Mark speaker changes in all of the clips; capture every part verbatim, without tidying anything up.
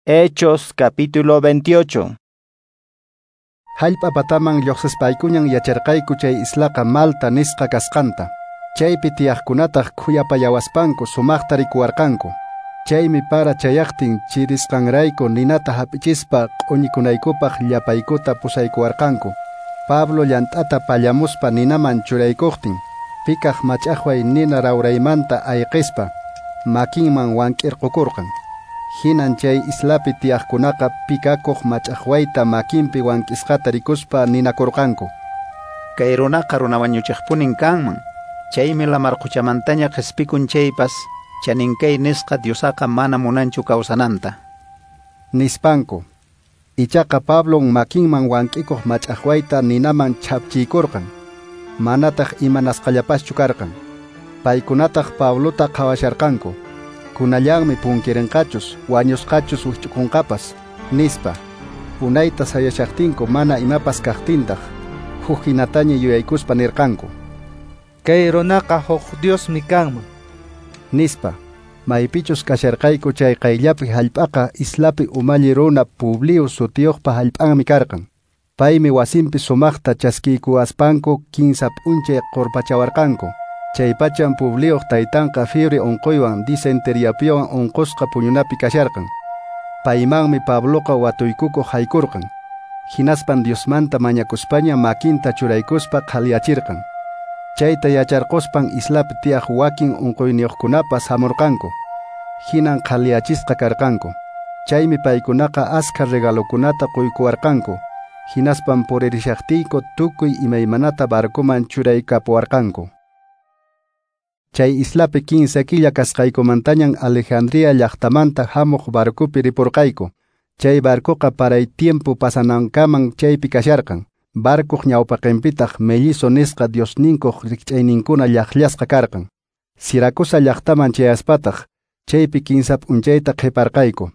Speaker 1: Hechos capítulo veintiocho.
Speaker 2: Hallp'a pataman lluqsispaykuñan yacharqayku chay islaqa Malta nisqa kasqanta. Chaypi tiyaqkunataq khuyapayawaspanku sumaqta rikuwarqanku. Chaymi para chayaqtin chirisqanrayku ninata hap'ichispa q'uñikunaykupaq llapaykuta pusaykuwarqanku. Pablo llant'ata pallamuspa ninaman churaykuqtin, pikaq mach'aqway nina rawraymanta ayqispa makinman wank'irqukurqan. Hinan chay islapi tiyaqkunaqa pikakuq mach'aqwayta makinpi wank'isqata rikuspa ninakurqanku.
Speaker 3: Kay runaqa runa wañuchiqpunin kanman. Chaymi lamar quchamantaña qhispikun chaypas, chaninkay nisqa Diosaqa mana munanchu kawsananta.
Speaker 2: Nispanku. Ichaqa Pablon makinman wank'ikuq mach'aqwayta ninaman chhapchiykurqan. Manataq imanasqallapaschu karqan. Paykunataq Pablota qhawasharqanku. Kunallanmi punkirinqachus, wañusqachus wikch'ukunqapas, nispa. Unayta sayashaqtinku mana imapas kaqtintaq, huk hinataña yuyaykuspa nirqanku.
Speaker 4: Kay runaqa huk Diosmi kanman,
Speaker 2: nispa. Maypichus kasharqayku chay qayllapi hallp'aqa islapi umalli runa Publio sutiyuqpa hallp'anmi karqan. Paymi wasinpi sumaqta chaskiykuwaspanku kinsa p'unchay qurpachawarqanku. Chaypachan Publioq taytanqa fiebre unquywan disenteriapiwan unqusqa puñunapi kasharqan. Paymanmi Pabloqa watuykukuq haykurqan. Hinaspan Diosmanta mañakuspaña makinta churaykuspa qhaliyachirqan. Chayta yacharquspan islapi tiyaq wakin unquyniyuqkunapas hamurqanku. Hinan qhaliyachisqa karqanku. Chaymi paykunaqa askha regalokunata quykuwarqanku. Hinaspan puririshaqtiyku tukuy imaymanata barcoman churaykapuwarqanku. Chay islapi kinsa killa kasqaykumantañan Alejandría llaqtamanta hamuq barcopi ripurqayku. Chay barcoqa paray tiempo pasanankaman chaypi kasharqan. Barcoq ñawpaqinpitaq mellizo nisqa diosninkuq rikch'ayninkuna llaqllasqa karqan. Siracusa llaqtaman chayaspataq chaypi kinsa p'unchayta qhiparqayku.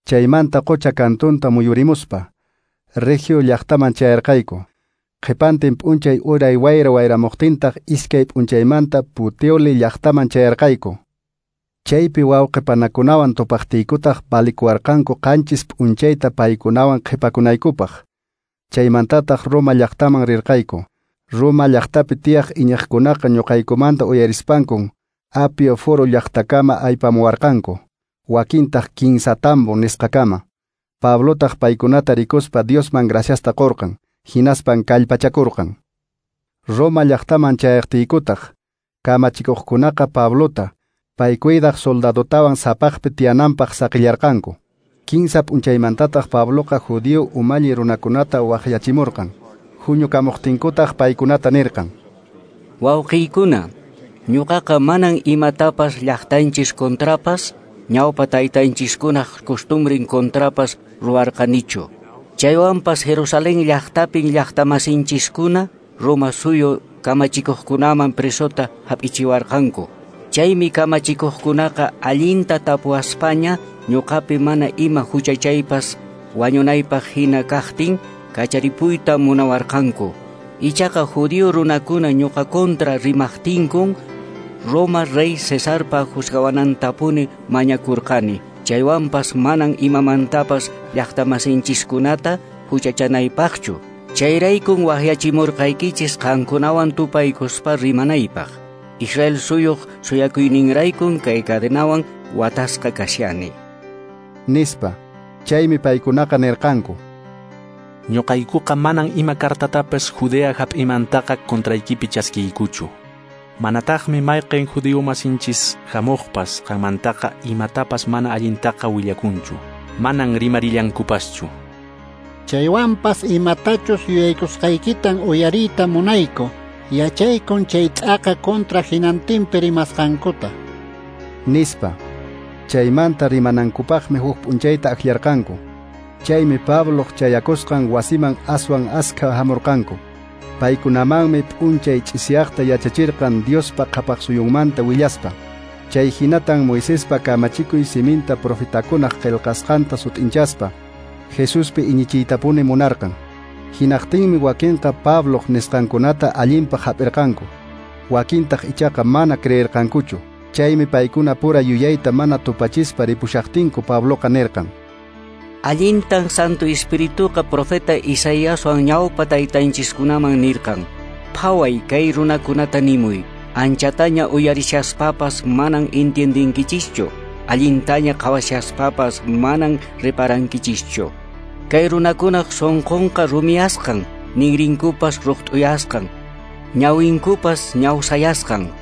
Speaker 2: Chaymanta qucha kantunta muyurimuspa Regio llaqtaman chayarqayku. Qhipantin p'unchay uray wayra wayramuqtintaq iskay p'unchaymanta Puteoli llaqtaman chayarqayku. Chaypi wawqipanakunawan tupaqtiykutaq valikuwarqanku qanchis p'unchayta paykunawan qhipakunaykupaq. Chaymantataq Roma llaqtaman rirqayku. Roma llaqtapi tiyaq iñiqkunaqa ñuqaykumanta uyarispankun Apio Foro llaqtakama aypamuwarqanku. Wakintaq Kinsa Tambo nisqakama. Pablotaq paykunata rikuspa Diosman graciasta qurqan. Hinaspan kallpachakurqan. Roma llaqtaman chayaqtiykutaq kamachikuqkunaqa Pablota paykuydaq soldadotawan sapaqpi tiyananpaq saqillarqanku. Kinsa p'unchaymantataq Pabloqa judío umalli runakunata waqyachimurqan. Huñukamuqtinkutaq paykunata nirqan:
Speaker 5: Wawqiykuna, ñuqaqa manan imatapas llaqtanchis contrapas, ñawpa taytanchiskunaq costumbrin contrapas ruwarqanichu. Chaywanpas Jerusalén llaqtapin llaqtamasinchiskuna Roma suyu kamachikuqkunaman presota hap'ichiwarqanku. Chaymi kamachikuqkunaqa allinta tapuwaspaña ñuqapi mana ima huchachaypas wañunaypaq hina kaqtin kacharipuyta munawarqanku. Ichaqa judío runakuna ñuqa contra rimaqtinkun Roma rey Cesarpa juzgawanantapuni mañakurqani. Chaywanpas manan imamantapas llaqtamasinchiskunata huchachanaypaqchu. Chayraykun waqyachimurqaykichis qankunawan tupaykuspa rimanaypaq. Israel suyuq suyakuyninraykun kay cadenawan watasqa kashani,
Speaker 2: nispa. Chaymi paykunaqa nirqanku:
Speaker 6: Ñuqaykuqa manan ima kartatapas Judea hap'imantaqa contraykipi chaskiykuchu. Manataqmi mayqin judío masinchis hamuqpas qanmantaqa imatapas mana allintaqa willakunchu. Manan rimarillankupaschu.
Speaker 7: Chaywanpas imatachus yuyaykusqaykitan uyariyta munayku. Yachaykun chay t'aqa contra hinantinpi rimasqankuta,
Speaker 2: nispa. Chaymanta rimanankupaqmi huk p'unchayta akllarqanku. Chaymi Pabloq chayakusqan wasiman aswan askha hamurqanku. Paykunamanmi p'unchay ch'isiyaqta yachachirqan Diospa qhapaqsuyunmanta willaspa. Chay hinatan Moisespa kamachikuy siminta profetakunaq qillqasqanta sut'inchaspa Jesuspi iñichiytapuni munarqan. Hinaqtinmi wakinqa Pabloq nisqankunata allinpaq hap'irqanku. Wakintaq ichaqa mana creerqankuchu. Chaymi paykuna pura yuyayta mana tupachispa ripushaqtinku Pabloqa nirqan:
Speaker 5: Allintan Santo Espirituqa profeta Isaiaswan ñawpa taytanchiskunaman nirqan: Phaway kay runakunata nimuy, anchataña uyarishaspapas manan entiendinkichischu, allintaña qhawashaspapas manan reparankichischu. Kay runakunaq sunqunqa rumiyasqan, ninrinkupas ruqt'uyasqan, ñawinkupas ñawsayasqan,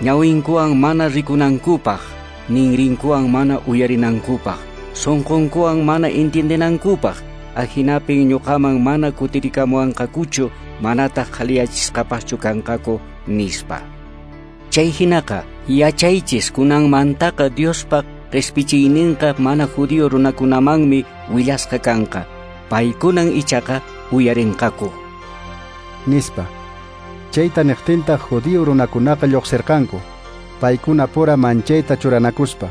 Speaker 5: ñawinkuwan mana rikunankupaq, ninrinkuwan mana uyarinankupaq, sunqunkuwan mana entiendenankupaq, ahinapin ñuqaman mana kutirikamuwanqakuchu, manataq qhaliyachisqapaschu kanqaku, nispa. Chay hinaqa yachaychis kunanmantaqa Diospa qhispichiyninqa mana judío runakunamanmi willasqa kanqa, paykunan ichaqa uyarinqaku,
Speaker 2: nispa. Chayta niqtintaq judío runakunaqa lluqsirqanku, paykuna pura manchayta churanakuspa.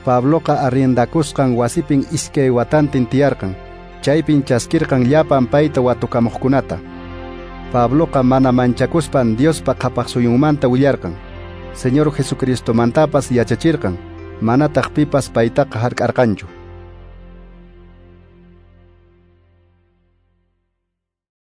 Speaker 2: Pabloqa arriendakusqan wasipin iskay watantin tiyarqan, chaypin chaskirqan llapan payta watukamuqkunata. Pabloqa mana manchakuspan Diospa qhapaq suyunmanta willarqan, Señor Jesucristomantapas yachachirqan, manataq pipas paytaqa hark'arqanchu.